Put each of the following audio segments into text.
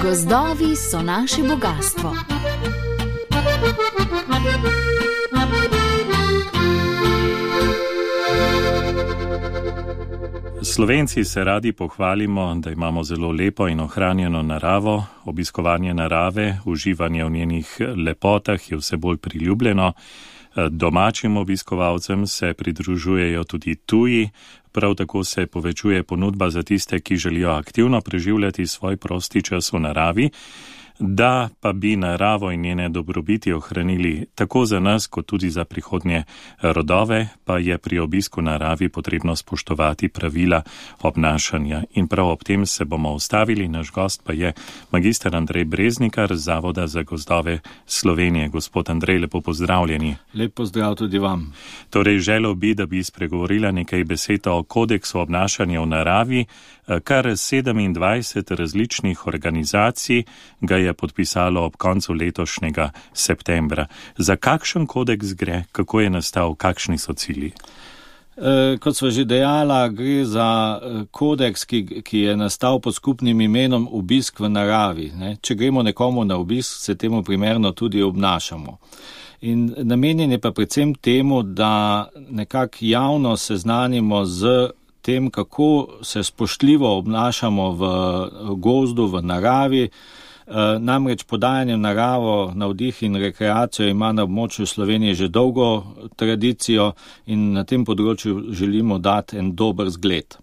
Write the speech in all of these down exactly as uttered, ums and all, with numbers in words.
Gozdovi so naše bogastvo. Slovenci se radi pohvalimo, da imamo zelo lepo in ohranjeno naravo, obiskovanje narave, uživanje v njenih lepotah je vse bolj priljubljeno. Domačim obiskovalcem se pridružujejo tudi tuji, prav tako se povečuje ponudba za tiste, ki želijo aktivno preživljati svoj prosti čas v naravi. Da pa bi naravo in njene dobrobiti ohranili tako za nas, kot tudi za prihodnje rodove, pa je pri obisku naravi potrebno spoštovati pravila obnašanja. In prav ob tem se bomo ustavili. Naš gost pa je magister Andrej Breznikar z Zavoda za gozdove Slovenije. Gospod Andrej, lepo pozdravljeni. Lep pozdrav tudi vam. Torej, želel bi, da bi spregovorila nekaj besed o kodeksu obnašanja v naravi. Kar sedemindvajset različnih organizacij ga je podpisalo ob koncu letošnjega septembra. Za kakšen kodeks gre, kako je nastal, kakšni so cilji? E, kot sva že dejala, gre za kodeks, ki, ki je nastal pod skupnim imenom obisk v naravi. Ne? Če gremo nekomu na obisk, se temu primerno tudi obnašamo. In namenjen je pa predvsem temu, da nekako javno seznanimo z tem, kako se spoštljivo obnašamo v gozdu, v naravi. Namreč podajanje naravo, navdih in rekreacijo ima na območju Slovenije že dolgo tradicijo in na tem področju želimo dati en dober zgled.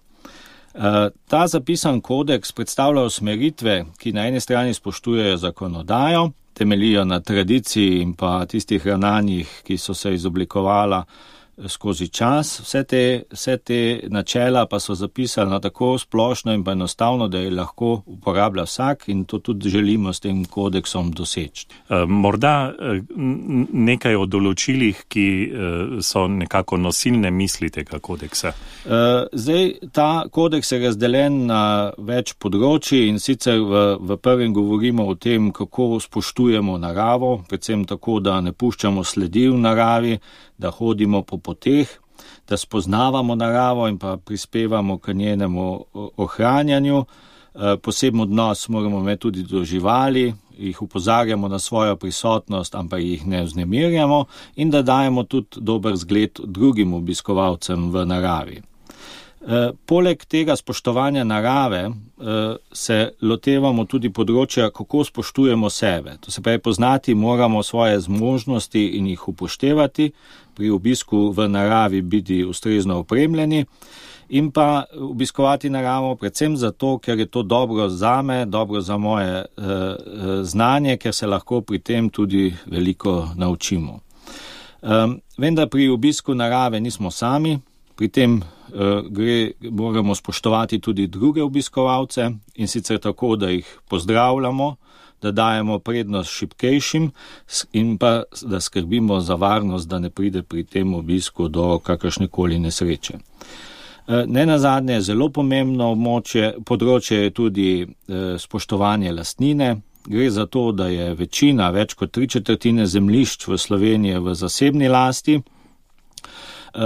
Ta zapisan kodeks predstavlja usmeritve, ki na eni strani spoštujejo zakonodajo, temeljijo na tradiciji in pa tistih ravnanjih, ki so se izoblikovala skozi čas. Vse te, vse te načela pa so zapisane tako splošno in pa enostavno, da je lahko uporablja vsak in to tudi želimo s tem kodeksom doseči. Morda nekaj o določilih, ki so nekako nosilne misli tega kodeksa. Zdaj, ta kodeks je razdeljen na več področji in sicer v, v prvem govorimo o tem, kako spoštujemo naravo, predvsem tako, da ne puščamo sledi v naravi, da hodimo po poteh, da spoznavamo naravo in pa prispevamo k njenemu ohranjanju. Poseben odnos moramo imeti tudi do živali, jih upozarjamo na svojo prisotnost, ampak jih ne vznemirjamo in da dajemo tudi dober zgled drugim obiskovalcem v naravi. Poleg tega spoštovanja narave se lotevamo tudi področja, kako spoštujemo sebe. To se pravi, poznati moramo svoje zmožnosti in jih upoštevati, pri obisku v naravi biti ustrezno opremljeni in pa obiskovati naravo predvsem zato, ker je to dobro zame, dobro za moje eh, znanje, ker se lahko pri tem tudi veliko naučimo. Um, vendar pri obisku narave nismo sami, pri tem uh, gre, moramo spoštovati tudi druge obiskovalce in sicer tako, da jih pozdravljamo, da dajemo prednost šibkejšim in pa da skrbimo za varnost, da ne pride pri tem obisku do kakršnekoli nesreče. Ne nazadnje, zelo pomembno območje, področje je tudi eh, spoštovanje lastnine. Gre za to, da je večina, več kot tri četrtine zemljišč v Sloveniji v zasebni lasti. Uh,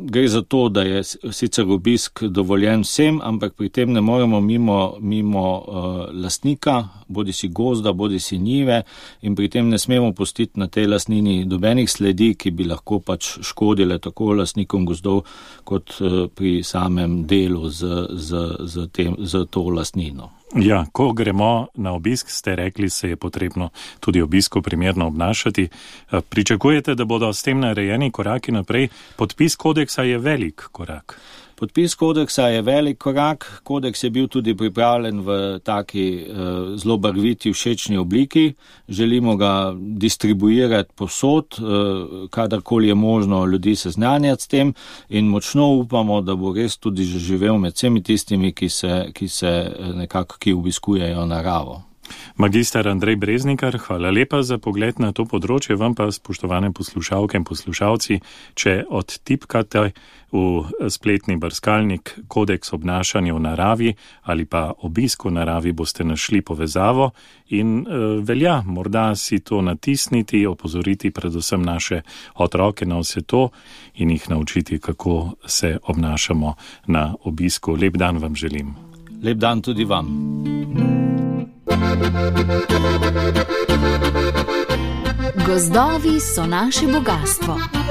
gre za to, da je sicer obisk dovoljen vsem, ampak pri tem ne moremo mimo, mimo uh, lastnika, bodi si gozda, bodi si njive in pri tem ne smemo pustiti na tej lastnini dobenih sledi, ki bi lahko pač škodile tako lastnikom gozdov kot uh, pri samem delu z, z, z, tem, z to lastnino. Ja, ko gremo na obisk, ste rekli, se je potrebno tudi obisku primerno obnašati. Pričakujete, da bodo s tem narejeni koraki naprej? Podpis kodeksa je velik korak. Podpis kodeksa je velik korak. Kodeks je bil tudi pripravljen v taki uh, zelo barviti všečni obliki. Želimo ga distribuirati povsod, uh, kadarkoli je možno ljudi seznanjati s tem in močno upamo, da bo res tudi zaživel med vsemi tistimi, ki se, ki se nekako ki obiskujejo naravo. Magister Andrej Breznikar, hvala lepa za pogled na to področje. Vam pa, spoštovane poslušalke in poslušalci, če odtipkate v spletni brskalnik kodeks obnašanja v naravi ali pa obisk v naravi, boste našli povezavo in e, velja morda si to natisniti, opozoriti predvsem naše otroke na vse to in jih naučiti, kako se obnašamo na obisku. Lep dan vam želim. Lep dan tudi vam. Gozdovi so naše bogatstvo.